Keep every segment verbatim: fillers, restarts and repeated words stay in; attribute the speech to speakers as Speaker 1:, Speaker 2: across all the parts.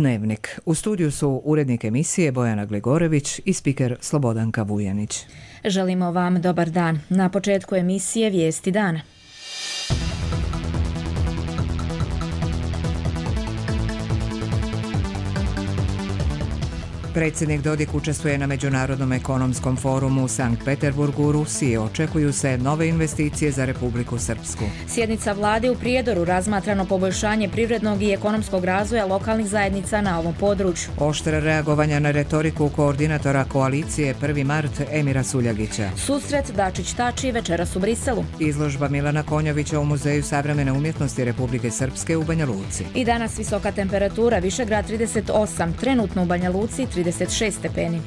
Speaker 1: Dnevnik. U studiju su urednik emisije Bojana Gligorević i spiker Slobodanka Vujanić.
Speaker 2: Želimo vam dobar dan. Na početku emisije Vijesti dana.
Speaker 1: Predsjednik Dodik učestvuje na Međunarodnom ekonomskom forumu u Sankt Peterburgu u Rusiji. Očekuju se nove investicije za Republiku Srpsku.
Speaker 2: Sjednica vlade u Prijedoru, razmatrano poboljšanje privrednog i ekonomskog razvoja lokalnih zajednica na ovom području.
Speaker 1: Oštra reagovanja na retoriku koordinatora koalicije prvi mart Emira Suljagića.
Speaker 2: Susret Dačić-Tači večeras u Briselu.
Speaker 1: Izložba Milana Konjovića u Muzeju savremene umjetnosti Republike Srpske u Banja Luci.
Speaker 2: I danas visoka temperatura, Višegrad trideset osam, trenutno u Banja Luci trideset šest stepeni.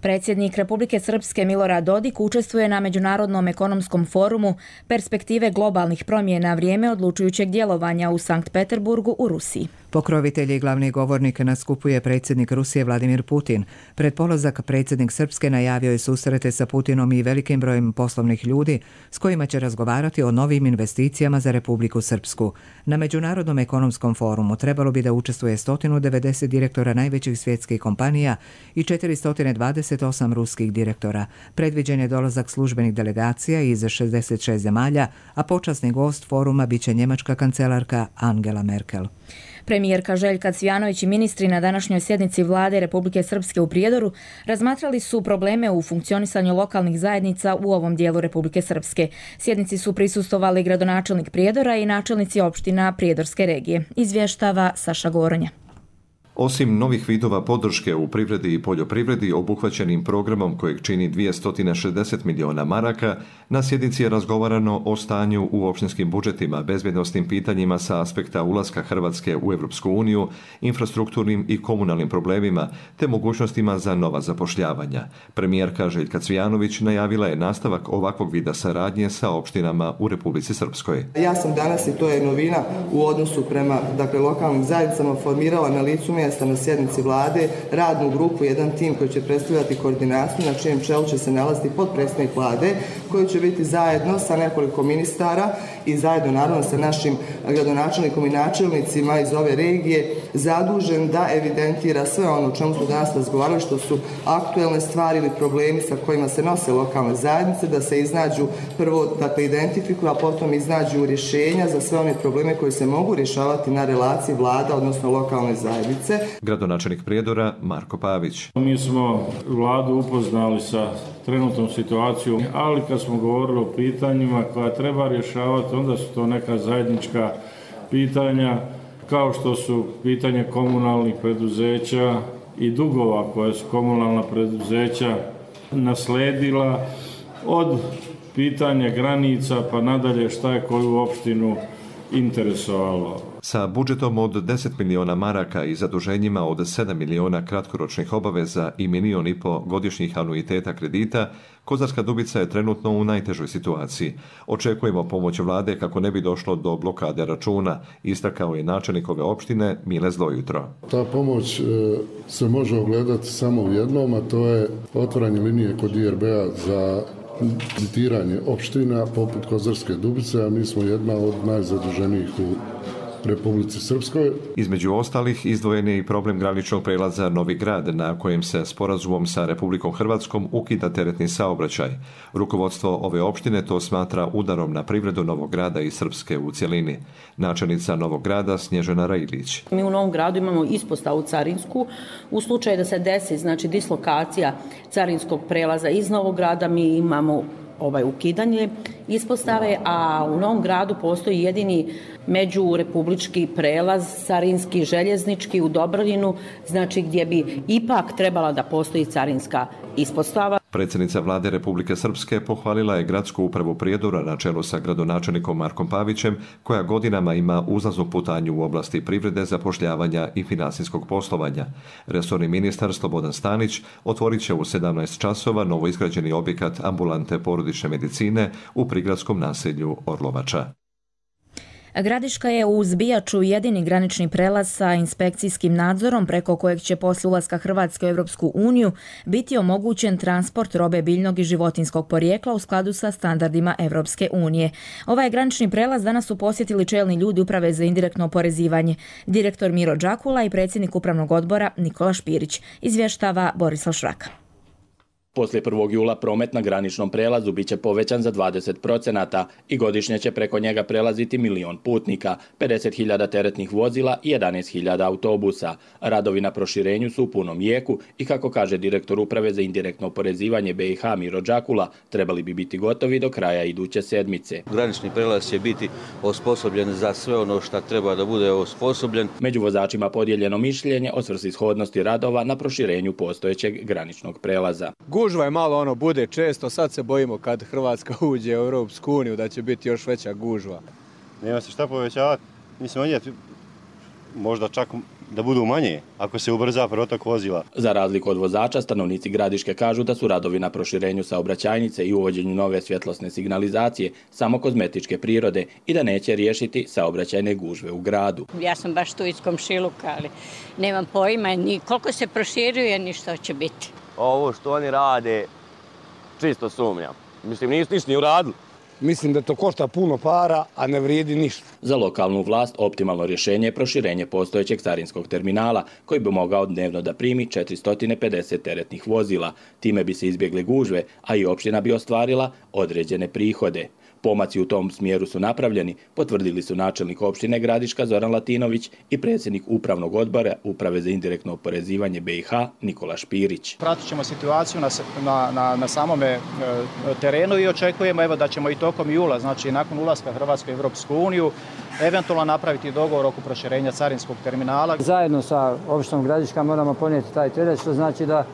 Speaker 2: Predsjednik Republike Srpske Milorad Dodik učestvuje na Međunarodnom ekonomskom forumu Perspektive globalnih promjena, vrijeme odlučujućeg djelovanja u Sankt Peterburgu u Rusiji.
Speaker 1: Pokrovitelj i glavni govornik na skupu je predsjednik Rusije Vladimir Putin. Pred polazak predsjednik Srpske najavio je susrete sa Putinom i velikim brojem poslovnih ljudi s kojima će razgovarati o novim investicijama za Republiku Srpsku. Na Međunarodnom ekonomskom forumu trebalo bi da učestvuje sto devedeset direktora najvećih svjetskih kompanija i četiristo dvadeset osam ruskih direktora. Predviđen je dolazak službenih delegacija iz šezdeset šest zemalja, a počasni gost foruma biće njemačka kancelarka Angela Merkel.
Speaker 2: Premijerka Željka Cvjanović i ministri na današnjoj sjednici vlade Republike Srpske u Prijedoru razmatrali su probleme u funkcionisanju lokalnih zajednica u ovom dijelu Republike Srpske. Sjednici su prisustvovali gradonačelnik Prijedora i načelnici opština Prijedorske regije. Izvještava Saša Goronja.
Speaker 3: Osim novih vidova podrške u privredi i poljoprivredi obuhvaćenim programom kojeg čini dvjesto šezdeset miliona maraka, na sjednici je razgovarano o stanju u opštinskim budžetima, bezbjednosnim pitanjima sa aspekta ulaska Hrvatske u Europsku uniju, infrastrukturnim i komunalnim problemima, te mogućnostima za nova zapošljavanja. Premijerka Željka Cvjanović najavila je nastavak ovakvog vida saradnje sa opštinama u Republici Srpskoj.
Speaker 4: Ja sam danas, i to je novina u odnosu prema dakle, lokalnim zajednicama, formirala na licu mjesta na sjednici vlade radnu grupu, jedan tim koji će predstavljati koordinaciju, na čijem čelu će se nalaziti potpredsjednik vlade, koji će biti zajedno sa nekoliko ministara i zajedno naravno sa našim gradonačelnikom i načelnicima iz ove regije zadužen da evidentira sve ono o čemu smo danas razgovarali, što su aktuelne stvari ili problemi sa kojima se nose lokalne zajednice, da se iznađu prvo, dakle, identifikuju, a potom iznađu rješenja za sve one probleme koji se mogu rješavati na relaciji vlada, odnosno lokalne zajednice.
Speaker 3: Gradonačelnik Prijedora Marko Pavić.
Speaker 5: Mi smo vladu upoznali sa trenutnom situacijom, ali kad smo govorili o pitanjima koja treba rješavati, onda su to neka zajednička pitanja, kao što su pitanje komunalnih preduzeća i dugova koje su komunalna preduzeća nasledila, od pitanja granica pa nadalje šta je koju opštinu interesovalo.
Speaker 3: Sa budžetom od deset miliona maraka i zaduženjima od sedam miliona kratkoročnih obaveza i milion i po godišnjih anuiteta kredita, Kozarska Dubica je trenutno u najtežoj situaciji. Očekujemo pomoć vlade kako ne bi došlo do blokade računa, istakao je načelnik ove opštine Mile Zlojutro.
Speaker 6: Ta pomoć se može ogledati samo u jednom, a to je otvaranje linije kod I R B-a za kreditiranje opština poput Kozarske Dubice, a mi smo jedna od najzaduženijih u Republici Srpskoj.
Speaker 3: Između ostalih izdvojen je i problem graničnog prelaza Novi Grad, na kojem se sporazumom sa Republikom Hrvatskom ukida teretni saobraćaj. Rukovodstvo ove opštine to smatra udarom na privredu Novog Grada i Srpske u cjelini. Načelnica Novog Grada Snježana Rajlić.
Speaker 7: Mi u Novom Gradu imamo ispostavu carinsku. U slučaju da se desi, znači dislokacija carinskog prelaza iz Novog Grada, mi imamo ovaj ukidanje ispostave, a u Novom Gradu postoji jedini međurepublički prelaz carinski željeznički u Dobrolinu, znači gdje bi ipak trebala da postoji carinska ispostava.
Speaker 3: Predsjednica vlade Republike Srpske pohvalila je gradsku upravu Prijedora na čelu sa gradonačelnikom Markom Pavićem, koja godinama ima uzlaznu putanju u oblasti privrede, zapošljavanja i financijskog poslovanja. Resorni ministar Slobodan Stanić otvorit će u sedamnaest časova novoizgrađeni objekat ambulante porodične medicine u prigradskom naselju Orlovača.
Speaker 2: Gradiška je uz Bijaču jedini granični prelaz sa inspekcijskim nadzorom preko kojeg će posle ulaska Hrvatske u Europsku uniju biti omogućen transport robe biljnog i životinskog porijekla u skladu sa standardima Europske unije. Ovaj granični prelaz danas su posjetili čelni ljudi Uprave za indirektno oporezivanje, direktor Miro Đakula i predsjednik Upravnog odbora Nikola Špirić, izvještava Borislav Šraka.
Speaker 8: Poslije prvog jula promet na graničnom prelazu bit će povećan za dvadeset procenata i godišnje će preko njega prelaziti milion putnika, pedeset hiljada teretnih vozila i jedanaest hiljada autobusa. Radovi na proširenju su u punom jeku i, kako kaže direktor Uprave za indirektno oporezivanje B i H Miro Đakula, trebali bi biti gotovi do kraja iduće sedmice.
Speaker 9: Granični prelaz će biti osposobljen za sve ono što treba da bude osposobljen.
Speaker 8: Među vozačima podijeljeno mišljenje o svrsishodnosti radova na proširenju postojećeg graničnog prelaza.
Speaker 10: Gužva je malo ono bude često, sad se bojimo kad Hrvatska uđe u Europsku uniju da će biti još veća gužva.
Speaker 11: Nema se šta povećavati, mislim odjeti možda čak da budu manje ako se ubrza protok vozila.
Speaker 8: Za razliku od vozača, stanovnici Gradiške kažu da su radovi na proširenju saobraćajnice i uvođenju nove svjetlosne signalizacije samo kozmetičke prirode i da neće riješiti saobraćajne gužve u gradu.
Speaker 12: Ja sam baš tu iz komšiluka, ali nemam pojma ni koliko se proširuje ni što će biti.
Speaker 13: Ovo što oni rade, čisto sumnjam. Mislim, nisu ništa ni uradili.
Speaker 14: Mislim da to košta puno para, a ne vrijedi ništa.
Speaker 8: Za lokalnu vlast optimalno rješenje je proširenje postojećeg carinskog terminala, koji bi mogao dnevno da primi četiristo pedeset teretnih vozila. Time bi se izbjegle gužve, a i opština bi ostvarila određene prihode. Pomaci u tom smjeru su napravljeni, potvrdili su načelnik opštine Gradiška Zoran Latinović i predsjednik Upravnog odbora Uprave za indirektno oporezivanje B i H Nikola Špirić.
Speaker 15: Pratit ćemo situaciju na, na, na, na samome e, terenu i očekujemo evo, da ćemo i tokom jula, znači nakon ulaska Hrvatske u Europsku uniju, eventualno napraviti dogovor oko proširenja carinskog terminala.
Speaker 16: Zajedno sa opštinom Gradiška moramo ponijeti taj teret, što znači da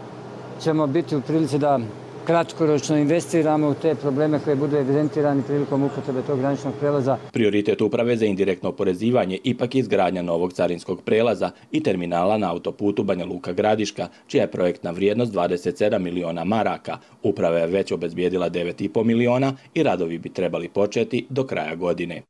Speaker 16: ćemo biti u prilici da kratkoročno investiramo u te probleme koje budu evidentirani prilikom upotrebe tog graničnog prelaza.
Speaker 8: Prioritet Uprave za indirektno oporezivanje ipak je izgradnja novog carinskog prelaza i terminala na autoputu Banja Luka Gradiška, čija je projektna vrijednost dvadeset sedam miliona maraka. Uprava je već obezbijedila devet i po miliona i radovi bi trebali početi do kraja godine.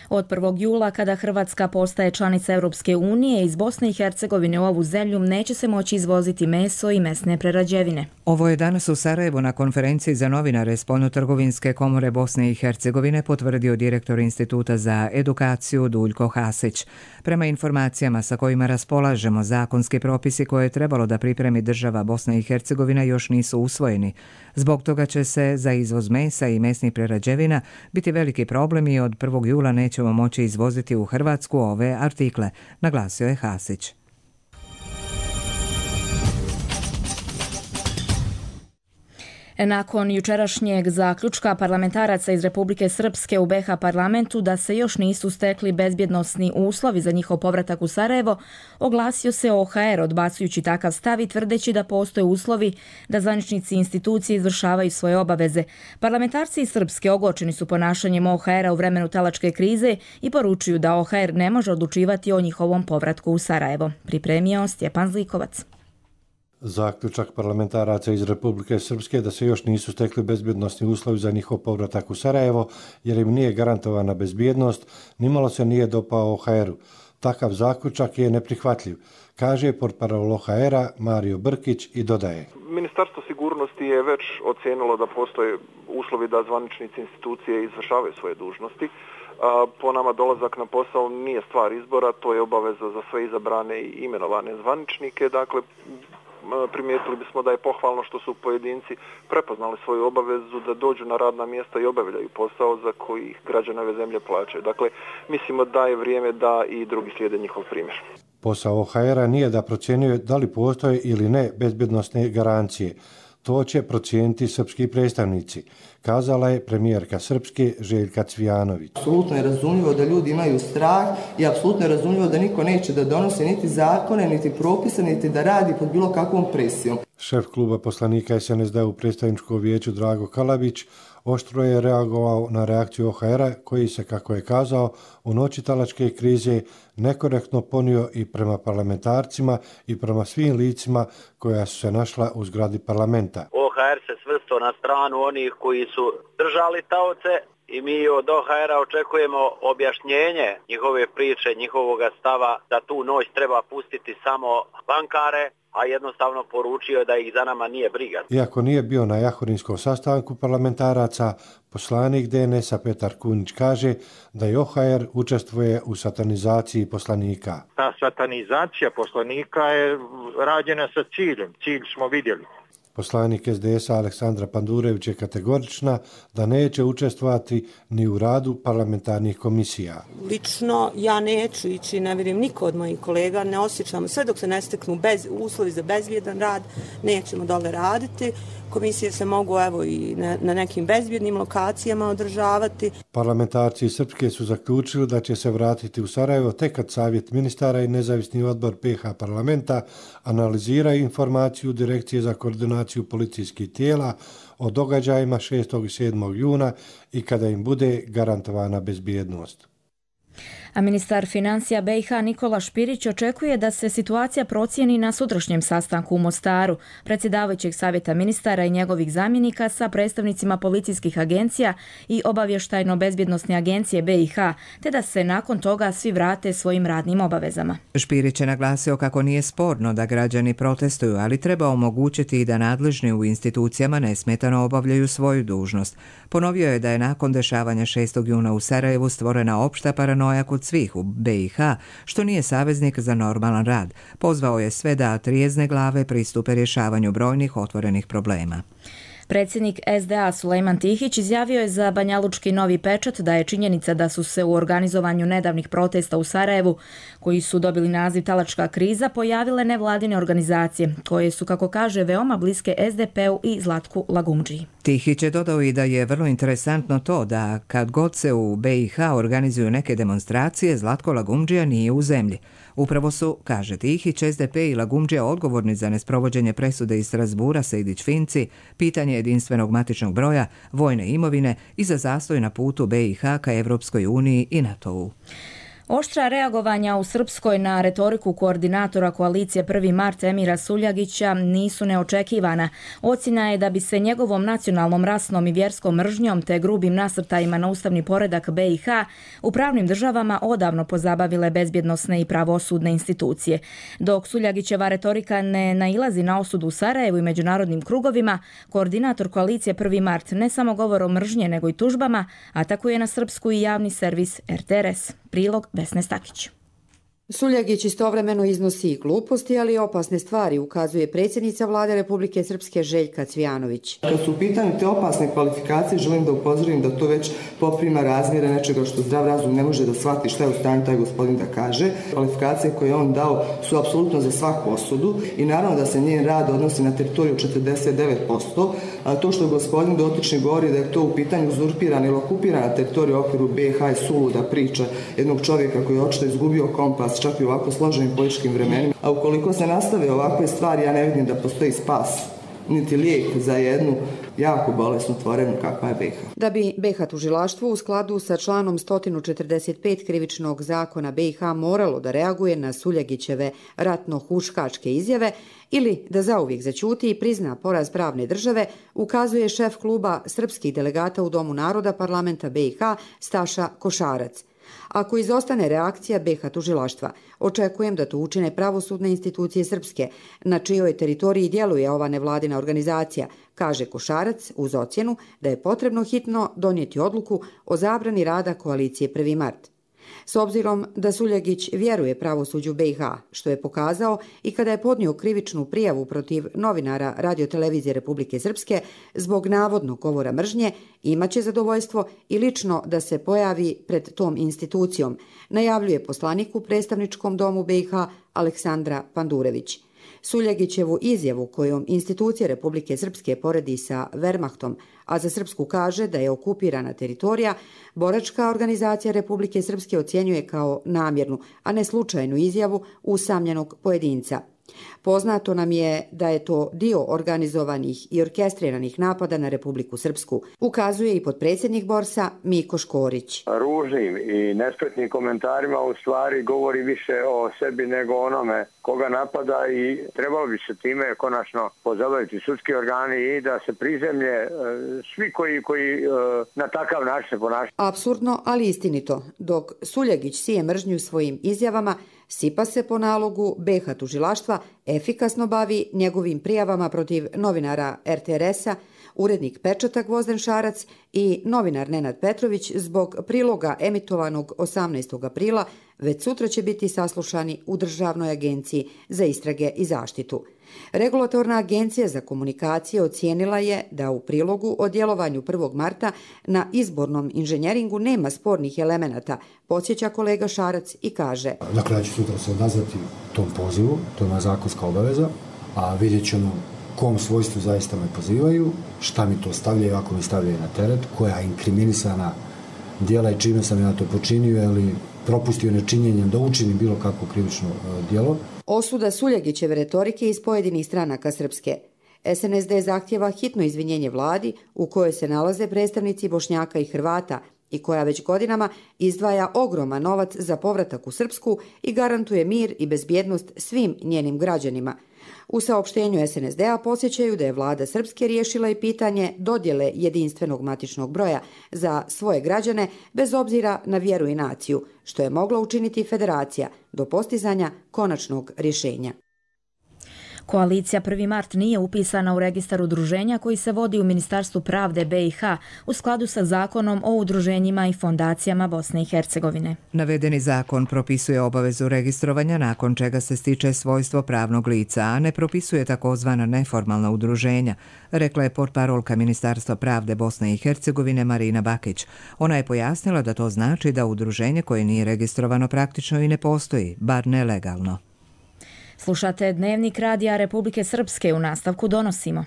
Speaker 2: Od prvog jula, kada Hrvatska postaje članica Europske unije, iz Bosne i Hercegovine u ovu zemlju neće se moći izvoziti meso i mesne prerađevine.
Speaker 1: Ovo je danas u Sarajevu na konferenciji za novinare Spoljnotrgovinske komore Bosne i Hercegovine potvrdio direktor Instituta za edukaciju Duljko Hasić. Prema informacijama sa kojima raspolažemo, zakonski propisi koje je trebalo da pripremi država Bosna i Hercegovina još nisu usvojeni. Zbog toga će se za izvoz mesa i mesnih prerađevina biti veliki problem i od prvog jula neće ćemo moći izvoziti u Hrvatsku ove artikle, naglasio je Hasić.
Speaker 2: Nakon jučerašnjeg zaključka parlamentaraca iz Republike Srpske u B i H parlamentu da se još nisu stekli bezbjednosni uslovi za njihov povratak u Sarajevo, oglasio se O H R odbacujući takav stav i tvrdeći da postoje uslovi da zvaničnici institucije izvršavaju svoje obaveze. Parlamentarci iz Srpske ogorčeni su ponašanjem O H R-a u vremenu talačke krize i poručuju da O H R ne može odlučivati o njihovom povratku u Sarajevo. Pripremio Stjepan Zlikovac.
Speaker 17: Zaključak parlamentaraca iz Republike Srpske da se još nisu stekli bezbjednosni uslovi za njihov povratak u Sarajevo, jer im nije garantovana bezbjednost, nimalo se nije dopao O H R-u. Takav zaključak je neprihvatljiv, kaže portparol O H R-a Mario Brkić i dodaje.
Speaker 18: Ministarstvo sigurnosti je već ocijenilo da postoje uslovi da zvaničnici institucije izvršavaju svoje dužnosti. Po nama dolazak na posao nije stvar izbora, to je obaveza za sve izabrane i imenovane zvaničnike. Dakle, primijetili bismo da je pohvalno što su pojedinci prepoznali svoju obavezu da dođu na radna mjesta i obavljaju posao za koji građani ove zemlje plaćaju. Dakle, mislimo da je vrijeme da i drugi slijede njihov primjer.
Speaker 17: Posao O H R-a nije da procjenjuje da li postoje ili ne bezbjednosne garancije. To će procijeniti srpski predstavnici, kazala je premijerka Srpske Željka Cvijanović.
Speaker 4: Apsolutno je razumljivo da ljudi imaju strah i apsolutno je razumljivo da niko neće da donosi niti zakone, niti propise, niti da radi pod bilo kakvom presijom.
Speaker 17: Šef kluba poslanika S N S D u predstavničkom vijeću Drago Kalabić oštro je reagovao na reakciju O H R-a koji se, kako je kazao, u noći talačke krize nekorektno ponio i prema parlamentarcima i prema svim licima koja su se našla u zgradi parlamenta.
Speaker 19: O H R se svrstao na stranu onih koji su držali taoce i mi od O H R-a očekujemo objašnjenje njihove priče, njihovoga stava da tu noć treba pustiti samo bankare, a jednostavno poručio da ih za nama nije briga.
Speaker 17: Iako nije bio na jahorinskom sastanku parlamentaraca, poslanik D N S-a Petar Kunić kaže da i O H R učestvuje u satanizaciji poslanika.
Speaker 20: Ta satanizacija poslanika je rađena sa ciljem. Cilj smo vidjeli.
Speaker 17: Poslanik S D S-a Aleksandra Pandurević je kategorična da neće učestvovati ni u radu parlamentarnih komisija.
Speaker 21: Lično ja neću ići, ne vjerujem niko od mojih kolega, ne osjećamo, sve dok se ne steknu bez, uslovi za bezbjedan rad, nećemo dole raditi. Komisije se mogu evo i na, na nekim bezbjednim lokacijama održavati.
Speaker 17: Parlamentarci Srpske su zaključili da će se vratiti u Sarajevo tek kad Savjet ministara i nezavisni odbor P H parlamenta analiziraju informaciju Direkcije za koordinaciju policijskih tijela o događajima šestog i sedmog juna i kada im bude garantovana bezbjednost.
Speaker 2: A ministar financija B i H Nikola Špirić očekuje da se situacija procijeni na sutrašnjem sastanku u Mostaru, predsjedavajućeg savjeta ministara i njegovih zamjenika sa predstavnicima policijskih agencija i obavještajno-bezbjednosne agencije B i H, te da se nakon toga svi vrate svojim radnim obavezama.
Speaker 1: Špirić je naglasio kako nije sporno da građani protestuju, ali treba omogućiti i da nadležni u institucijama nesmetano obavljaju svoju dužnost. Ponovio je da je nakon dešavanja šestog juna u Sarajevu stvorena opšta paranoja kod svih u B i H, što nije saveznik za normalan rad. Pozvao je sve da trijezne glave pristupe rješavanju brojnih otvorenih problema.
Speaker 2: Predsjednik S D A Sulejman Tihić izjavio je za Banjalučki Novi Pečat da je činjenica da su se u organizovanju nedavnih protesta u Sarajevu, koji su dobili naziv Talačka kriza, pojavile nevladine organizacije, koje su, kako kaže, veoma bliske S D P-u i Zlatku Lagumdžiji.
Speaker 1: Tihić je dodao i da je vrlo interesantno to da kad god se u B i H organizuju neke demonstracije, Zlatko Lagumdžija nije u zemlji. Upravo su, kaže Tihić, S D P i Lagumdžija odgovorni za nesprovođenje presude iz Strasbura Sejdić-Finci, pitanje jedinstvenog matičnog broja, vojne imovine i za zastoj na putu B i H ka Evropskoj uniji i NATO-u.
Speaker 2: Oštra reagovanja u Srpskoj na retoriku koordinatora koalicije prvi mart Emira Suljagića nisu neočekivana. Ocjena je da bi se njegovom nacionalnom, rasnom i vjerskom mržnjom te grubim nasrtajima na ustavni poredak B i H u pravnim državama odavno pozabavile bezbjednosne i pravosudne institucije. Dok Suljagićeva retorika ne nailazi na osudu u Sarajevu i međunarodnim krugovima, koordinator koalicije prvi mart ne samo govorom mržnje nego i tužbama atakuje na Srpsku i javni servis R T R S. Prilog Vesne Stakić.
Speaker 22: Suljagić istovremeno iznosi i gluposti, ali i opasne stvari, ukazuje predsjednica vlade Republike Srpske Željka Cvijanović.
Speaker 4: Kad su u pitanju te opasne kvalifikacije, želim da upozorim da to već poprima razmjere nečega što zdrav razum ne može da shvati šta je u stanju taj gospodin da kaže. Kvalifikacije koje on dao su apsolutno za svaku osudu i naravno da se njen rad odnosi na teritoriju četrdeset devet posto. A to što gospodin dotični govori da je to u pitanju uzurpirana ili okupirana teritorija u okviru B i H je suluda priča jednog čovjeka koji je očito izgubio kompas čak i u ovako složenim političkim vremenima. A ukoliko se nastave ovakve stvari, ja ne vidim da postoji spas, niti lijek za jednu jako bolesnu tvorenu kakva je B i H.
Speaker 22: Da bi B i H tužilaštvo u skladu sa članom sto četrdeset pet krivičnog zakona B i H moralo da reaguje na Suljagićeve ratno-huškačke izjave ili da zauvijek zaćuti i prizna poraz pravne države, ukazuje šef kluba srpskih delegata u Domu naroda parlamenta B i H Staša Košarac. Ako izostane reakcija B i H tužilaštva, očekujem da to učine pravosudne institucije Srpske, na čijoj teritoriji djeluje ova nevladina organizacija, kaže Košarac uz ocjenu da je potrebno hitno donijeti odluku o zabrani rada koalicije prvi mart. S obzirom da Suljagić vjeruje pravosuđu B i H, što je pokazao i kada je podnio krivičnu prijavu protiv novinara Radiotelevizije Republike Srpske zbog navodnog govora mržnje, imaće zadovoljstvo i lično da se pojavi pred tom institucijom, najavljuje poslanik u predstavničkom domu B i H Aleksandra Pandurević. Suljagićevu izjavu kojom institucije Republike Srpske poredi sa Wehrmachtom, a za Srpsku kaže da je okupirana teritorija, boračka organizacija Republike Srpske ocjenjuje kao namjernu, a ne slučajnu izjavu usamljenog pojedinca. Poznato nam je da je to dio organizovanih i orkestriranih napada na Republiku Srpsku, ukazuje i potpredsjednik Borsa Miko Škorić.
Speaker 14: Ružnim i nespretnim komentarima u stvari govori više o sebi nego onome koga napada i trebalo bi se time konačno pozabaviti sudski organi i da se prizemlje svi koji, koji na takav način se ponašaju.
Speaker 22: Apsurdno, ali istinito. Dok Suljegić sije mržnju svojim izjavama, Sipa se po nalogu B iH tužilaštva efikasno bavi njegovim prijavama protiv novinara er te er es-a, urednik Pečata Gvozden Šarac i novinar Nenad Petrović zbog priloga emitovanog osamnaestog aprila već sutra će biti saslušani u Državnoj agenciji za istrage i zaštitu. Regulatorna agencija za komunikacije ocijenila je da u prilogu o djelovanju prvog marta na izbornom inženjeringu nema spornih elemenata, podsjeća kolega Šarac i kaže:
Speaker 5: Dakle, ja ću sutra se odazvati tom pozivu, to je moja zakonska obaveza, a vidjet ćemo kom svojstvu zaista me pozivaju, šta mi to stavljaju, ako mi stavljaju na teret, koja je inkriminisana djela i čime sam ja to počinio ili propustio nečinjenjem da učinim bilo kakvo krivično djelo.
Speaker 22: Osuda Suljegićeve retorike iz pojedinih stranaka Srpske. es en es de zahtjeva hitno izvinjenje vladi u kojoj se nalaze predstavnici Bošnjaka i Hrvata i koja već godinama izdvaja ogroman novac za povratak u Srpsku i garantuje mir i bezbjednost svim njenim građanima. U saopštenju es en es de-a podsjećaju da je vlada Srpske riješila i pitanje dodjele jedinstvenog matičnog broja za svoje građane bez obzira na vjeru i naciju, što je mogla učiniti federacija do postizanja konačnog rješenja.
Speaker 2: Koalicija prvi mart nije upisana u registar udruženja koji se vodi u Ministarstvu pravde B iH u skladu sa zakonom o udruženjima i fondacijama Bosne i Hercegovine.
Speaker 1: Navedeni zakon propisuje obavezu registrovanja nakon čega se stiče svojstvo pravnog lica, a ne propisuje takozvana neformalna udruženja, rekla je portparolka Ministarstva pravde Bosne i Hercegovine Marina Bakić. Ona je pojasnila da to znači da udruženje koje nije registrovano praktično i ne postoji, bar nelegalno.
Speaker 2: Slušate Dnevnik radija Republike Srpske, u nastavku donosimo.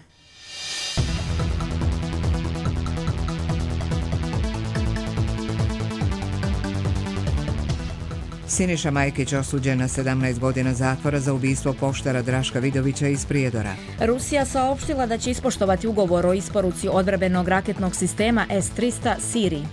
Speaker 1: Siniša Majkić osuđen na sedamnaest godina zatvora za ubistvo poštara Draška Vidovića iz Prijedora.
Speaker 2: Rusija saopštila da će ispoštovati ugovor o isporuci odbrambenog raketnog sistema es trista Siriji.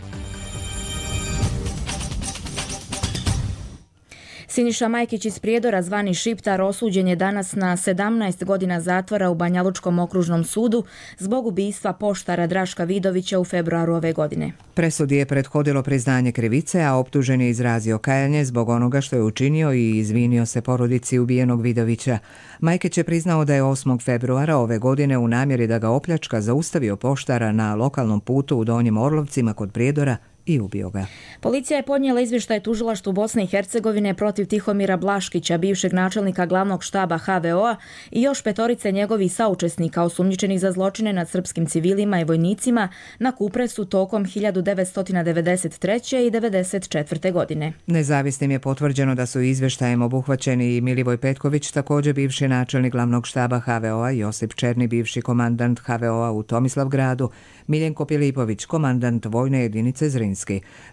Speaker 2: Siniša Majkić iz Prijedora, zvani Šiptar, osuđen je danas na sedamnaest godina zatvora u Banjalučkom okružnom sudu zbog ubistva poštara Draška Vidovića u februaru ove godine.
Speaker 1: Presudi je prethodilo priznanje krivice, a optužen je izrazio kajanje zbog onoga što je učinio i izvinio se porodici ubijenog Vidovića. Majkić je priznao da je osmog februara ove godine u namjeri da ga opljačka zaustavio poštara na lokalnom putu u Donjim Orlovcima kod Prijedora i ubio ga.
Speaker 2: Policija je podnijela izvještaj tužilaštvu Bosne i Hercegovine protiv Tihomira Blaškića, bivšeg načelnika glavnog štaba ha ve o-a i još petorice njegovih saučesnika osumnjičenih za zločine nad srpskim civilima i vojnicima na Kupresu tokom hiljadu devetsto devedeset treće i devedeset četvrte. godine.
Speaker 1: Nezavisnim je potvrđeno da su izvještajem obuhvaćeni i Milivoj Petković, također bivši načelnik glavnog štaba ha ve o-a, Josip Černi, bivši komandant ha ve o-a u Tomislavgradu, Miljenko Pilipović, komandant vojne jedinice Zrinski.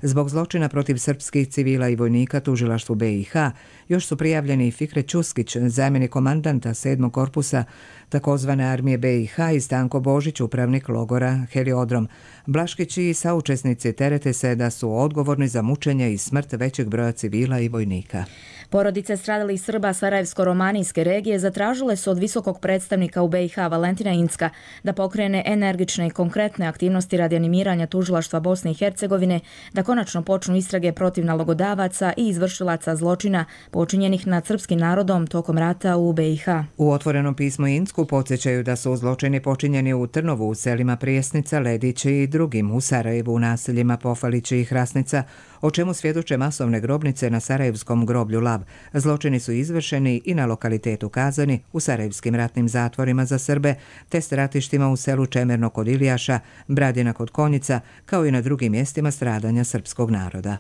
Speaker 1: Zbog zločina protiv srpskih civila i vojnika tužilaštvu be i ha još su prijavljeni i Fikret Čuskić, zamjenik komandanta sedmog korpusa takozvane armije be i ha, i Stanko Božić, upravnik logora Heliodrom. Blaškić i saučesnici terete se da su odgovorni za mučenje i smrt većeg broja civila i vojnika.
Speaker 2: Porodice stradalih Srba Sarajevsko-romanijske regije zatražile su od visokog predstavnika u be i ha Valentina Incka da pokrene energične i konkretne aktivnosti radi animiranja tužilaštva Bosne i Hercegovine, da konačno počnu istrage protiv nalogodavaca i izvršilaca zločina počinjenih nad srpskim narodom tokom rata u be i ha.
Speaker 1: U otvorenom pismu Incku podsjećaju da su zločini počinjeni u Trnovu, u selima Prijesnica, Ledići i drugim, u Sarajevu, u naseljima Pofalići i Hrasnica, o čemu svjedoče masovne grobnice na sarajevskom groblju Lav. Zločini su izvršeni i na lokalitetu Kazani, u sarajevskim ratnim zatvorima za Srbe, te stratištima u selu Čemerno kod Ilijaša, Bradina kod Konjica, kao i na drugim mjestima stradanja srpskog naroda.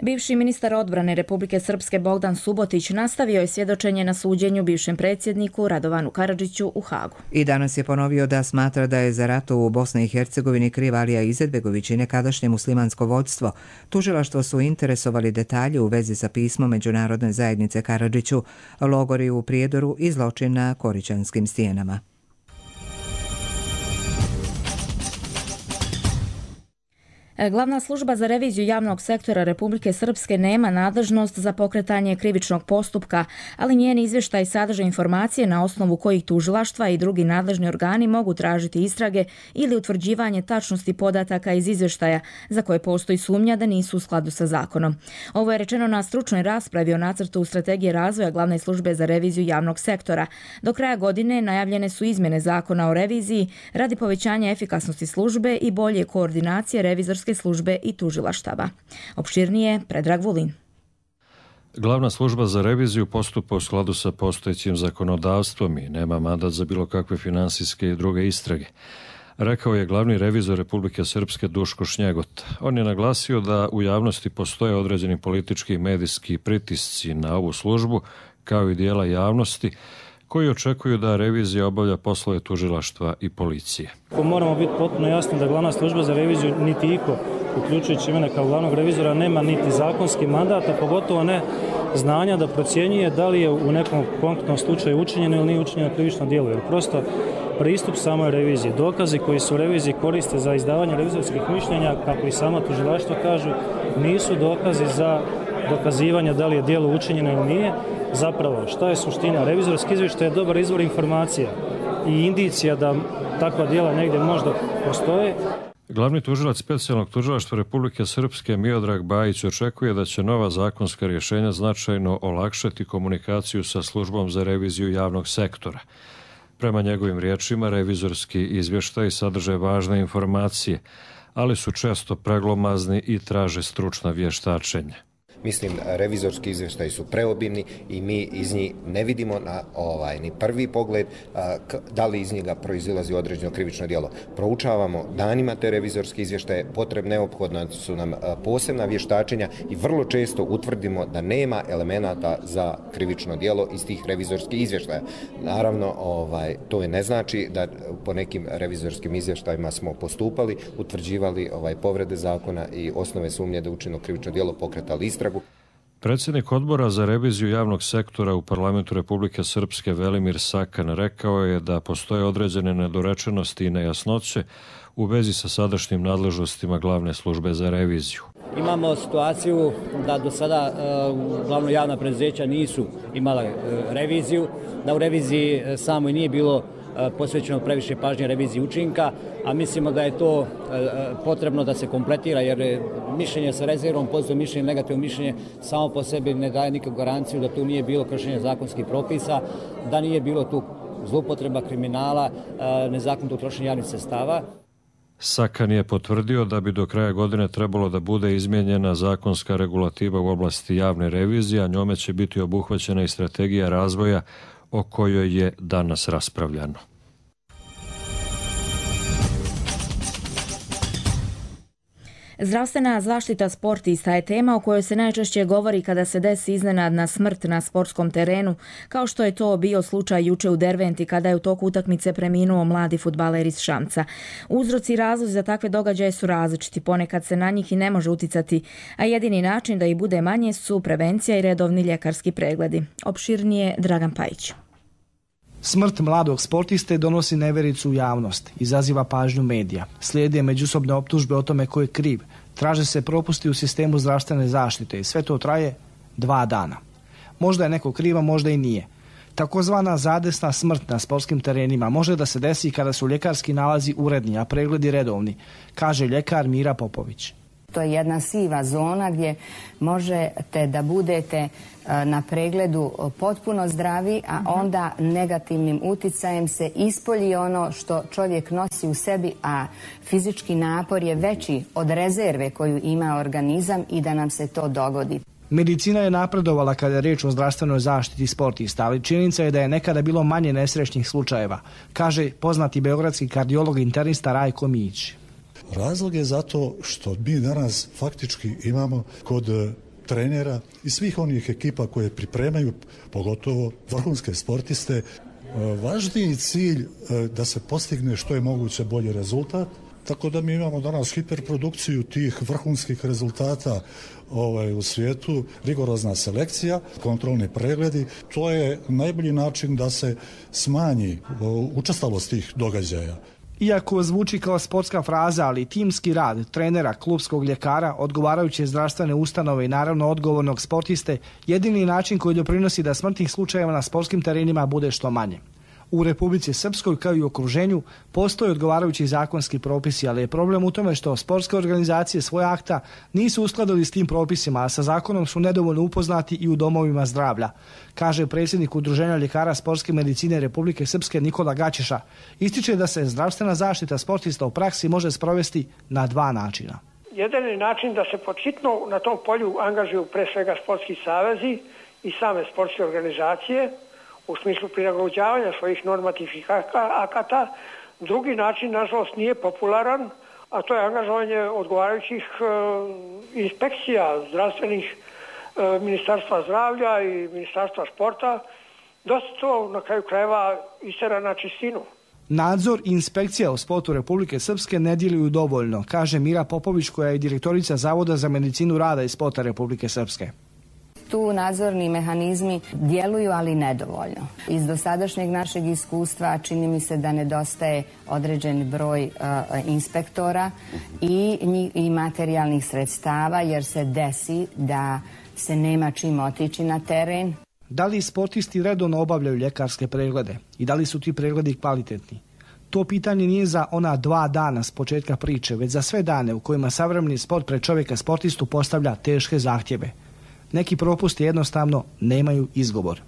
Speaker 2: Bivši ministar odbrane Republike Srpske Bogdan Subotić nastavio je svjedočenje na suđenju bivšem predsjedniku Radovanu Karadžiću u Hagu.
Speaker 1: I danas je ponovio da smatra da je za rat u Bosni i Hercegovini kriv Alija Izetbegović i nekadašnje muslimansko vođstvo. Tužilaštvo su interesovali detalje u vezi sa pismom Međunarodne zajednice zajednice Karadžiću, logori u Prijedoru i zločin na Koričanskim stijenama.
Speaker 2: Glavna služba za reviziju javnog sektora Republike Srpske nema nadležnost za pokretanje krivičnog postupka, ali njeni izvještaj sadrže informacije na osnovu kojih tužilaštva i drugi nadležni organi mogu tražiti istrage ili utvrđivanje tačnosti podataka iz izvještaja za koje postoji sumnja da nisu u skladu sa zakonom. Ovo je rečeno na stručnoj raspravi o nacrtu strategije razvoja Glavne službe za reviziju javnog sektora. Do kraja godine najavljene su izmjene zakona o reviziji radi povećanja efikasnosti službe i bolje koordinacije revizorske službe i tužilaštava. Opširnije Predrag Vulin.
Speaker 6: Glavna služba za reviziju postupa u skladu sa postojećim zakonodavstvom i nema mandat za bilo kakve finansijske i druge istrage, rekao je glavni revizor Republike Srpske Duško Šnjegot. On je naglasio da u javnosti postoje određeni politički i medijski pritisci na ovu službu, kao i dijela javnosti, koji očekuju da revizija obavlja poslove tužilaštva i policije.
Speaker 7: Moramo biti potpuno jasni da glavna služba za reviziju niti iko, uključujući mene kao glavnog revizora, nema niti zakonski mandat, a pogotovo ne znanja da procjenjuje da li je u nekom konkretnom slučaju učinjeno ili nije učinjeno krivično djelo. Jer prosto pristup samoj reviziji, dokazi koji su u reviziji koriste za izdavanje revizorskih mišljenja, kako i sama tužilaštva kažu, nisu dokazi za dokazivanje da li je djelo učinjeno ili nije. Zapravo, šta je suština? Revizorski izvještaj je dobar izvor informacija i indicija da takva djela negdje možda postoje.
Speaker 6: Glavni tužilac specijalnog tužilaštva Republike Srpske Miodrag Bajić očekuje da će nova zakonska rješenja značajno olakšati komunikaciju sa službom za reviziju javnog sektora. Prema njegovim riječima, revizorski izvještaji sadrže važne informacije, ali su često preglomazni i traže stručna vještačenja.
Speaker 23: Mislim, revizorski izvještaji su preobimni i mi iz njih ne vidimo na ovaj ni prvi pogled a, k, da li iz njega proizilazi određeno krivično djelo. Proučavamo danima te revizorske izvještaje, potrebne neophodna su nam a, posebna vještačenja i vrlo često utvrdimo da nema elemenata za krivično djelo iz tih revizorskih izvještaja. Naravno, ovaj, to ne znači da po nekim revizorskim izvještajima smo postupali, utvrđivali ovaj, povrede zakona i osnove sumnje da učinjeno krivično djelo, pokretali istragu.
Speaker 6: Predsjednik odbora za reviziju javnog sektora u Parlamentu Republike Srpske Velimir Sakan rekao je da postoje određene nedorečenosti i nejasnoće u vezi sa sadašnjim nadležnostima glavne službe za reviziju.
Speaker 24: Imamo situaciju da do sada uglavnom javna preduzeća nisu imala reviziju, da u reviziji samoj nije bilo posvećeno previše pažnje reviziji učinka, a mislimo da je to potrebno da se kompletira, jer mišljenje sa rezervom, pozitivno mišljenje, negativno mišljenje samo po sebi ne daje nikakvu garanciju da tu nije bilo kršenja zakonskih propisa, da nije bilo tu zloupotreba, kriminala, nezakonitog trošenja javnih sredstava.
Speaker 6: Sakan je potvrdio da bi do kraja godine trebalo da bude izmijenjena zakonska regulativa u oblasti javne revizije, a njome će biti obuhvaćena i strategija razvoja o kojoj je danas raspravljano.
Speaker 2: Zdravstvena zaštita sportista je tema o kojoj se najčešće govori kada se desi iznenadna smrt na sportskom terenu, kao što je to bio slučaj juče u Derventi kada je u toku utakmice preminuo mladi fudbaler iz Šamca. Uzroci i razlozi za takve događaje su različiti, ponekad se na njih i ne može uticati, a jedini način da ih bude manje su prevencija i redovni ljekarski pregledi. Opširnije Dragan Pajić.
Speaker 25: Smrt mladog sportiste donosi nevericu u javnost, izaziva pažnju medija. Slijede međusobne optužbe o tome ko je kriv. Traže se propusti u sistemu zdravstvene zaštite i sve to traje dva dana. Možda je neko kriva, možda i nije. Takozvana zadesna smrt na sportskim terenima može da se desi kada su ljekarski nalazi uredni, a pregledi redovni, kaže ljekar Mira Popović.
Speaker 26: To je jedna siva zona gdje možete da budete na pregledu potpuno zdravi, a onda negativnim uticajem se ispolji ono što čovjek nosi u sebi, a fizički napor je veći od rezerve koju ima organizam i da nam se to dogodi.
Speaker 25: Medicina je napredovala kada je riječ o zdravstvenoj zaštiti sportista, ali činjenica je da je nekada bilo manje nesrećnih slučajeva, kaže poznati beogradski kardiolog internista Rajko Mijić.
Speaker 27: Razlog je zato što mi danas faktički imamo kod trenera i svih onih ekipa koje pripremaju, pogotovo vrhunske sportiste, važniji cilj da se postigne što je moguće bolji rezultat tako da mi imamo danas hiperprodukciju tih vrhunskih rezultata ovaj, u svijetu, rigorozna selekcija, kontrolni pregledi. To je najbolji način da se smanji učestalost tih događaja.
Speaker 25: Iako zvuči kao sportska fraza, ali timski rad trenera, klubskog ljekara, odgovarajuće zdravstvene ustanove i naravno odgovornog sportiste, jedini način koji doprinosi da smrtnih slučajeva na sportskim terenima bude što manje. U Republici Srpskoj kao i u okruženju postoje odgovarajući zakonski propisi, ali je problem u tome što sportske organizacije svoje akta nisu uskladili s tim propisima, a sa zakonom su nedovoljno upoznati i u domovima zdravlja, kaže predsjednik Udruženja ljekara sportske medicine Republike Srpske Nikola Gaćeša. Ističe da se zdravstvena zaštita sportista u praksi može sprovesti na dva načina.
Speaker 3: Jedan je način da se počitno na tom polju angažuju pre svega sportski savezi i same sportske organizacije, u smislu prilagođavanja svojih normativnih akata. Drugi način, nažalost, nije popularan, a to je angažovanje odgovarajućih e, inspekcija zdravstvenih e, Ministarstva zdravlja i Ministarstva sporta. Dosta to na kraju krajeva istera na čistinu.
Speaker 25: Nadzor i inspekcija u sportu Republike Srpske ne djeluju dovoljno, kaže Mira Popović, koja je direktorica Zavoda za medicinu rada i sporta Republike Srpske.
Speaker 26: Tu nadzorni mehanizmi djeluju, ali nedovoljno. Iz dosadašnjeg našeg iskustva čini mi se da nedostaje određen broj uh, inspektora i, i materijalnih sredstava, jer se desi da se nema čim otići na teren.
Speaker 25: Da li sportisti redovno obavljaju ljekarske preglede i da li su ti pregledi kvalitetni? To pitanje nije za ona dva dana s početka priče, već za sve dane u kojima savremeni sport pred čovjeka sportistu postavlja teške zahtjeve. Neki propusti jednostavno nemaju izgovor.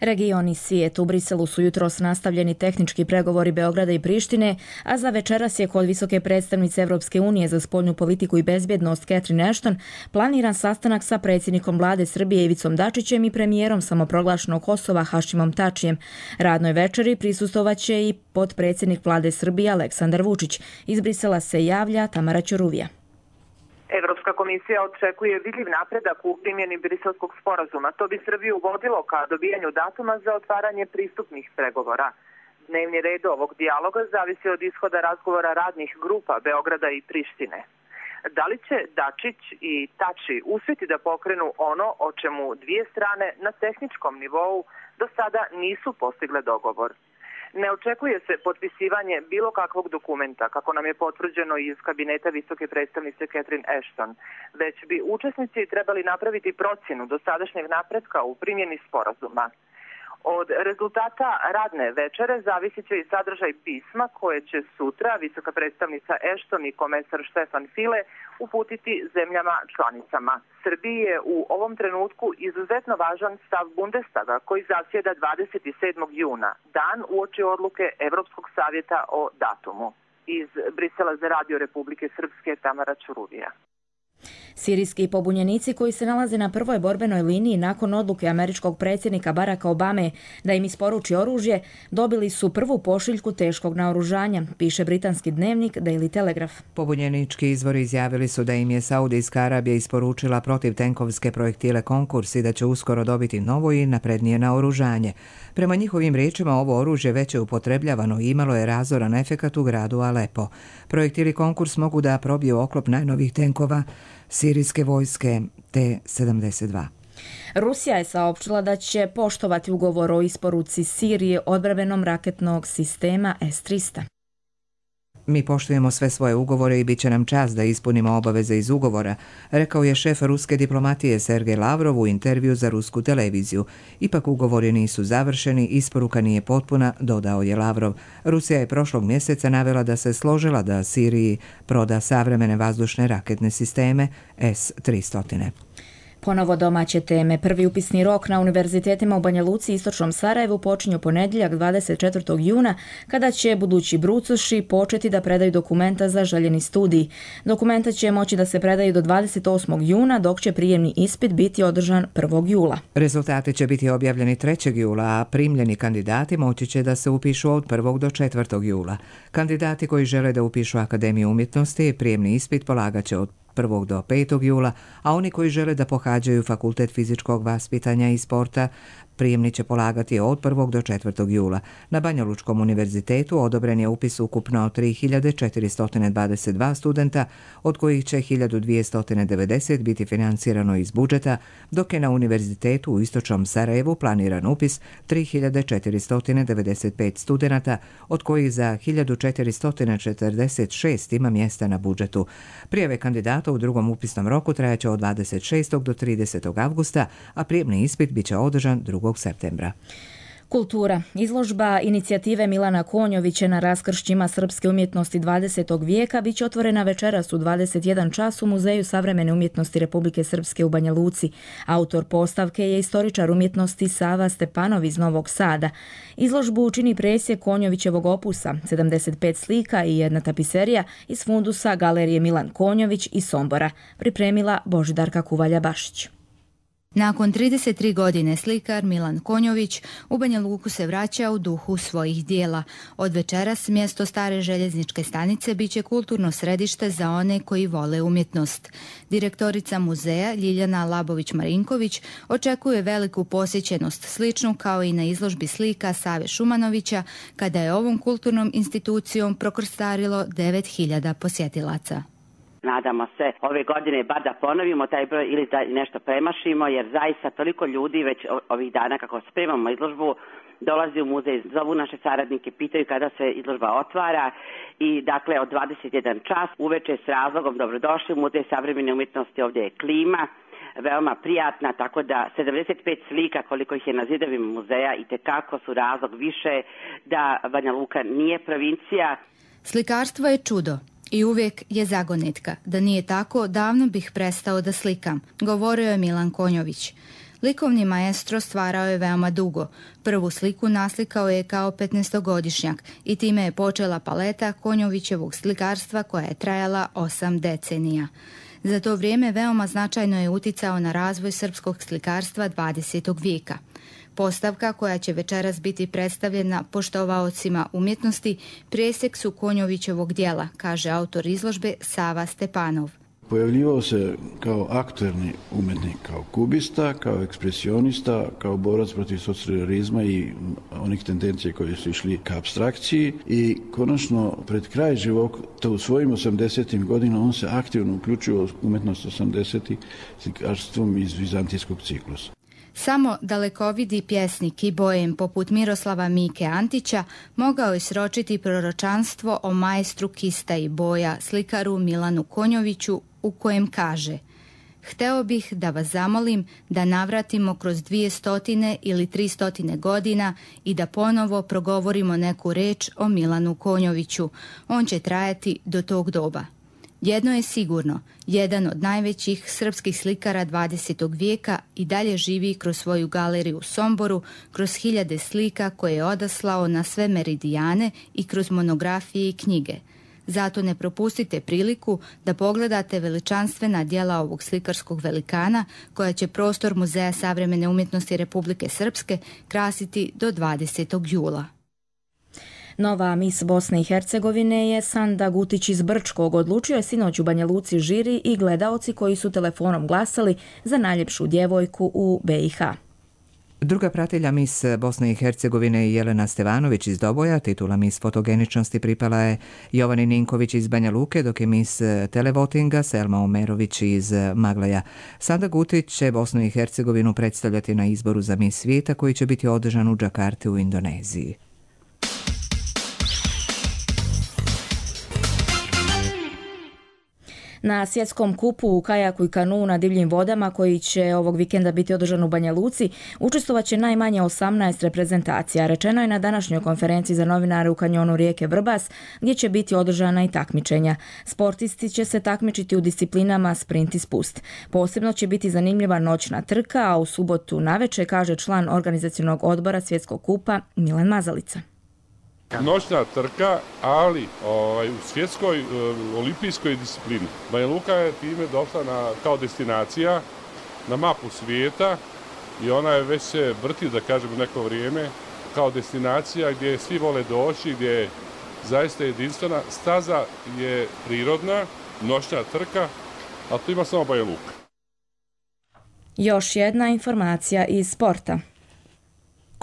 Speaker 2: Region i svijet. U Briselu su jutros nastavljeni tehnički pregovori Beograda i Prištine, a za večeras je kod visoke predstavnice Evropske unije za spoljnu politiku i bezbjednost Catherine Ashton planiran sastanak sa predsjednikom vlade Srbije Ivicom Dačićem i premijerom samoproglašenog Kosova Hašimom Tačijem. Radnoj večeri prisustvovaće i potpredsjednik vlade Srbije Aleksandar Vučić. Iz Brisela se javlja Tamara Ćuruvija.
Speaker 9: Evropska komisija očekuje vidljiv napredak u primjeni Briselskog sporazuma. To bi Srbiju vodilo ka dobijanju datuma za otvaranje pristupnih pregovora. Dnevni red ovog dijaloga zavisi od ishoda razgovora radnih grupa Beograda i Prištine. Da li će Dačić i Tači uspjeti da pokrenu ono o čemu dvije strane na tehničkom nivou do sada nisu postigle dogovor? Ne očekuje se potpisivanje bilo kakvog dokumenta, kako nam je potvrđeno iz kabineta visoke predstavnice Catherine Ashton, već bi učesnici trebali napraviti procjenu dosadašnjeg napretka u primjeni sporazuma. Od rezultata radne večere zavisit će i sadržaj pisma koje će sutra visoka predstavnica Ashton i komesar Štefan File uputiti zemljama članicama. Srbiji je u ovom trenutku izuzetno važan stav Bundestaga koji zasjeda dvadeset sedmog juna, dan uoči odluke Evropskog savjeta o datumu. Iz Brisela za Radio Republike Srpske, Tamara Ćuruvija.
Speaker 2: Sirijski pobunjenici koji se nalaze na prvoj borbenoj liniji nakon odluke američkog predsjednika Baracka Obame da im isporuči oružje, dobili su prvu pošiljku teškog naoružanja, piše britanski dnevnik Daily Telegraph.
Speaker 1: Pobunjenički izvori izjavili su da im je Saudijska Arabija isporučila protivtenkovske projektile Konkurs i da će uskoro dobiti novo i naprednije naoružanje. Prema njihovim riječima ovo oružje već je upotrebljavano i imalo je razoran efekat u gradu Alepo. Projektili Konkurs mogu da probiju oklop najnovih tenkova sirijske vojske T sedamdeset dva.
Speaker 2: Rusija je saopštila da će poštovati ugovor o isporuci Sirije odbrambenom raketnog sistema S tristo.
Speaker 1: Mi poštujemo sve svoje ugovore i bit će nam čast da ispunimo obaveze iz ugovora, rekao je šef ruske diplomatije Sergej Lavrov u intervju za rusku televiziju. Ipak ugovori nisu završeni, isporuka nije potpuna, dodao je Lavrov. Rusija je prošlog mjeseca navela da se složila da Siriji proda savremene vazdušne raketne sisteme S tristo.
Speaker 2: Ponovo domaće teme. Prvi upisni rok na univerzitetima u Banja Luci i istočnom Sarajevu počinju ponedjeljak dvadeset četvrtog juna, kada će budući brucoši početi da predaju dokumenta za željeni studij. Dokumenta će moći da se predaju do dvadeset osmog juna, dok će prijemni ispit biti održan prvog jula.
Speaker 1: Rezultati će biti objavljeni trećeg jula, a primljeni kandidati moći će da se upišu od prvog do četvrtog jula. Kandidati koji žele da upišu Akademiju umjetnosti, prijemni ispit polagat će od prvog do petog jula, a oni koji žele da pohađaju Fakultet fizičkog vaspitanja i sporta Prijemni će polagati od prvog do četvrtog jula. Na Banjalučkom univerzitetu odobren je upis ukupno tri hiljade četiristo dvadeset dva studenta, od kojih će hiljadu dvjesto devedeset biti financirano iz budžeta, dok je na univerzitetu u istočnom Sarajevu planiran upis tri hiljade četiristo devedeset pet studenata, od kojih za hiljadu četiristo četrdeset šest ima mjesta na budžetu. Prijave kandidata u drugom upisnom roku trajaće od dvadeset šestog do tridesetog avgusta, a prijemni ispit bit će održan drugog septembra.
Speaker 2: Kultura. Izložba inicijative Milana Konjovića na raskršćima srpske umjetnosti dvadesetog vijeka bit će otvorena večeras u dvadeset jedan čas u Muzeju savremene umjetnosti Republike Srpske u Banja Luci. Autor postavke je istoričar umjetnosti Sava Stepanov iz Novog Sada. Izložbu čini presjek Konjovićevog opusa, sedamdeset pet slika i jedna tapiserija iz fundusa Galerije Milan Konjović iz Sombora, pripremila Božidarka Kuvalja-Bašić.
Speaker 8: Nakon trideset tri godine slikar Milan Konjović u Banja Luku se vraća u duhu svojih dijela. Od večeras mjesto stare željezničke stanice biće kulturno središte za one koji vole umjetnost. Direktorica muzeja Ljiljana Labović-Marinković očekuje veliku posjećenost, sličnu kao i na izložbi slika Save Šumanovića, kada je ovom kulturnom institucijom prokrstarilo devet hiljada posjetilaca.
Speaker 10: Nadamo se ove godine bar da ponovimo taj broj ili da nešto premašimo, jer zaista toliko ljudi već ovih dana kako spremamo izložbu dolazi u muzej, zovu naše saradnike, pitaju kada se izložba otvara i dakle od dvadeset jedan čas uveče s razlogom dobrodošli u Muzej savremene umjetnosti, ovdje je klima veoma prijatna, tako da sedamdeset pet slika koliko ih je na zidovima muzeja i tekako su razlog više da Banja Luka nije provincija.
Speaker 8: Slikarstvo je čudo. I uvijek je zagonetka. Da nije tako, davno bih prestao da slikam, govorio je Milan Konjović. Likovni maestro stvarao je veoma dugo. Prvu sliku naslikao je kao petnaestogodišnjak i time je počela paleta Konjovićevog slikarstva koja je trajala osam decenija. Za to vrijeme veoma značajno je uticao na razvoj srpskog slikarstva dvadesetog vijeka. Postavka koja će večeras biti predstavljena poštovaocima umjetnosti presjek su Konjovićevog dijela, kaže autor izložbe Sava Stepanov.
Speaker 11: Pojavljivao se kao aktuelni umjetnik, kao kubista, kao ekspresionista, kao borac protiv socrealizma i onih tendencija koje su išli ka apstrakciji i konačno pred kraj života u svojim osamdesetim godinama on se aktivno uključio u umjetnost osamdesetih slikarstvom iz vizantijskog ciklusa.
Speaker 8: Samo dalekovidi pjesnik i bojem poput Miroslava Mike Antića mogao je sročiti proročanstvo o majstru kista i boja, slikaru Milanu Konjoviću, u kojem kaže: Hteo bih da vas zamolim da navratimo kroz dvije stotine ili tri stotine godina i da ponovo progovorimo neku reč o Milanu Konjoviću. On će trajati do tog doba. Jedno je sigurno, jedan od najvećih srpskih slikara dvadesetog vijeka i dalje živi kroz svoju galeriju u Somboru, kroz hiljade slika koje je odaslao na sve meridijane i kroz monografije i knjige. Zato ne propustite priliku da pogledate veličanstvena djela ovog slikarskog velikana koja će prostor Muzeja savremene umjetnosti Republike Srpske krasiti do dvadesetog jula.
Speaker 2: Nova mis Bosne i Hercegovine je Sanda Gutić iz Brčkog. Odlučio je sinoć u Banja Luci žiri i gledaoci koji su telefonom glasali za najljepšu djevojku u B i H.
Speaker 1: Druga pratelja mis Bosne i Hercegovine je Jelena Stevanović iz Doboja. Titula mis fotogeničnosti pripala je Jovani Ninković iz Banja Luke, dok je mis televotinga Selma Omerović iz Maglaja. Sanda Gutić će Bosnu i Hercegovinu predstavljati na izboru za mis svijeta koji će biti održan u Džakarti u Indoneziji.
Speaker 2: Na svjetskom kupu u kajaku i kanu na divljim vodama koji će ovog vikenda biti održan u Banja Luci učestvovat će najmanje osamnaest reprezentacija. Rečeno je na današnjoj konferenciji za novinare u kanjonu rijeke Vrbas, gdje će biti održana i takmičenja. Sportisti će se takmičiti u disciplinama sprint i spust. Posebno će biti zanimljiva noćna trka, a u subotu naveče, kaže član organizacionog odbora svjetskog kupa Milan Mazalica.
Speaker 12: Noćna trka, ali ovaj, u svjetskoj e, olimpijskoj disciplini. Banja Luka je time došla na, kao destinacija na mapu svijeta i ona je već se vrti, da kažemo, neko vrijeme kao destinacija gdje svi vole doći, gdje je zaista jedinstvena. Staza je prirodna, noćna trka, a tu ima samo Banja Luka.
Speaker 2: Još jedna informacija iz sporta.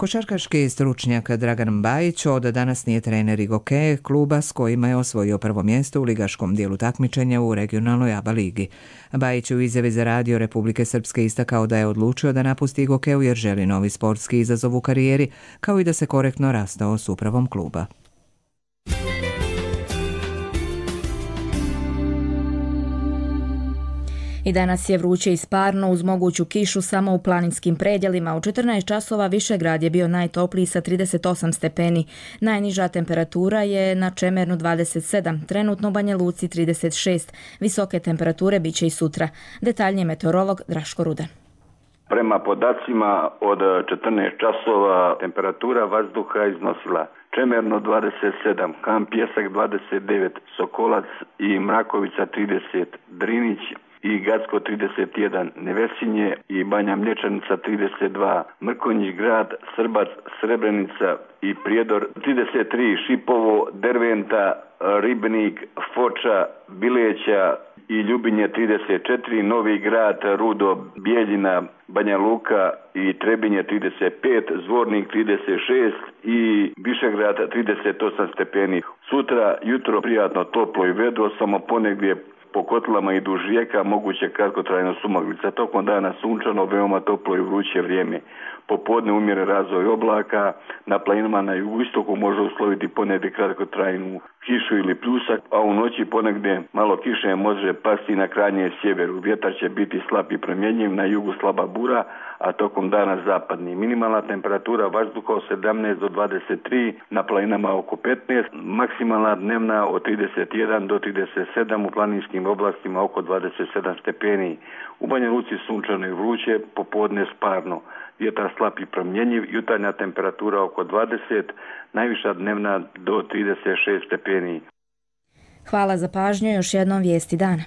Speaker 1: Košarkaški stručnjak Dragan Bajić od danas nije trener Igoke, kluba s kojima je osvojio prvo mjesto u ligaškom dijelu takmičenja u regionalnoj A B A ligi. Bajić u izjavi za radio Republike Srpske istakao da je odlučio da napusti Igokeu jer želi novi sportski izazov u karijeri, kao i da se korektno rastao s upravom kluba.
Speaker 2: I danas je vruće i sparno uz moguću kišu samo u planinskim predjelima. U četrnaest časova Višegrad je bio najtopliji sa trideset osam stepeni. Najniža temperatura je na Čemernu dvadeset sedam, trenutno u Banja Luci trideset šest. Visoke temperature bit će i sutra. Detaljnije meteorolog Draško Rudan.
Speaker 13: Prema podacima od četrnaest časova temperatura vazduha iznosila Čemerno dvadeset sedam, Kamp Pjesak dvadeset devet, Sokolac i Mrakovica trideset, Drinić i Gacko trideset jedan, Nevesinje i Banja Mlječanica trideset dva, Mrkonjić Grad, Srbac, Srebrenica i Prijedor trideset tri, Šipovo, Derventa, Ribnik, Foča, Bileća i Ljubinje trideset četiri, Novi Grad, Rudo, Bijeljina, Banja Luka i Trebinje trideset pet, Zvornik trideset šest i Višegrad trideset osam stepeni. Sutra jutro prijatno toplo i vedro, samo ponegdje po kotlama i duž rijeka moguće kratkotrajna sumaglica. Tokom dana sunčano, veoma toplo i vruće vrijeme. Popodne umjeren razvoj oblaka, na planinama na jugoistoku može usloviti ponegdje kratkotrajnu kišu ili pljusak, a u noći ponegdje malo kiše može pasti na krajnjem sjeveru. Vjetar će biti slab i promjenjiv, na jugu slaba bura, a tokom dana zapadni. Minimalna temperatura vazduha od sedamnaest do dvadeset tri, na planinama oko petnaest, maksimalna dnevna od trideset jedan do trideset sedam, u planinskim oblastima oko dvadeset sedam stepeni. U Banja Luci sunčano i vruće, popodne sparno. Vjetar slab i promjenjiv, jutarnja temperatura oko dvadeset, najviša dnevna do trideset šest stepeni.
Speaker 2: Hvala za pažnju, još jednom vijesti dana.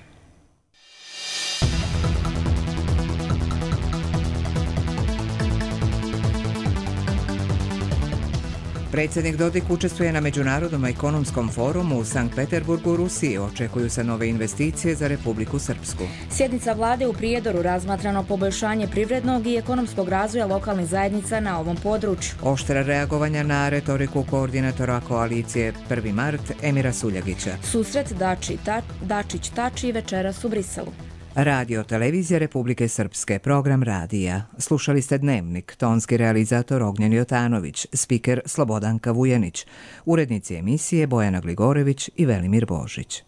Speaker 1: Predsjednik Dodik učestvuje na Međunarodnom ekonomskom forumu u Sankt Peterburgu u Rusiji. Očekuju se nove investicije za Republiku Srpsku.
Speaker 2: Sjednica vlade u Prijedoru razmatrano poboljšanje privrednog i ekonomskog razvoja lokalnih zajednica na ovom području.
Speaker 1: Oštra reagovanja na retoriku koordinatora koalicije prvi mart Emira Suljagića.
Speaker 2: Susret Dači, ta, Dačić-Tači večeras u Briselu.
Speaker 1: Radio Televizija Republike Srpske, program radija. Slušali ste Dnevnik, tonski realizator Ognjen Jotanović, spiker Slobodanka Vujanić, urednici emisije Bojana Gligorević i Velimir Božić.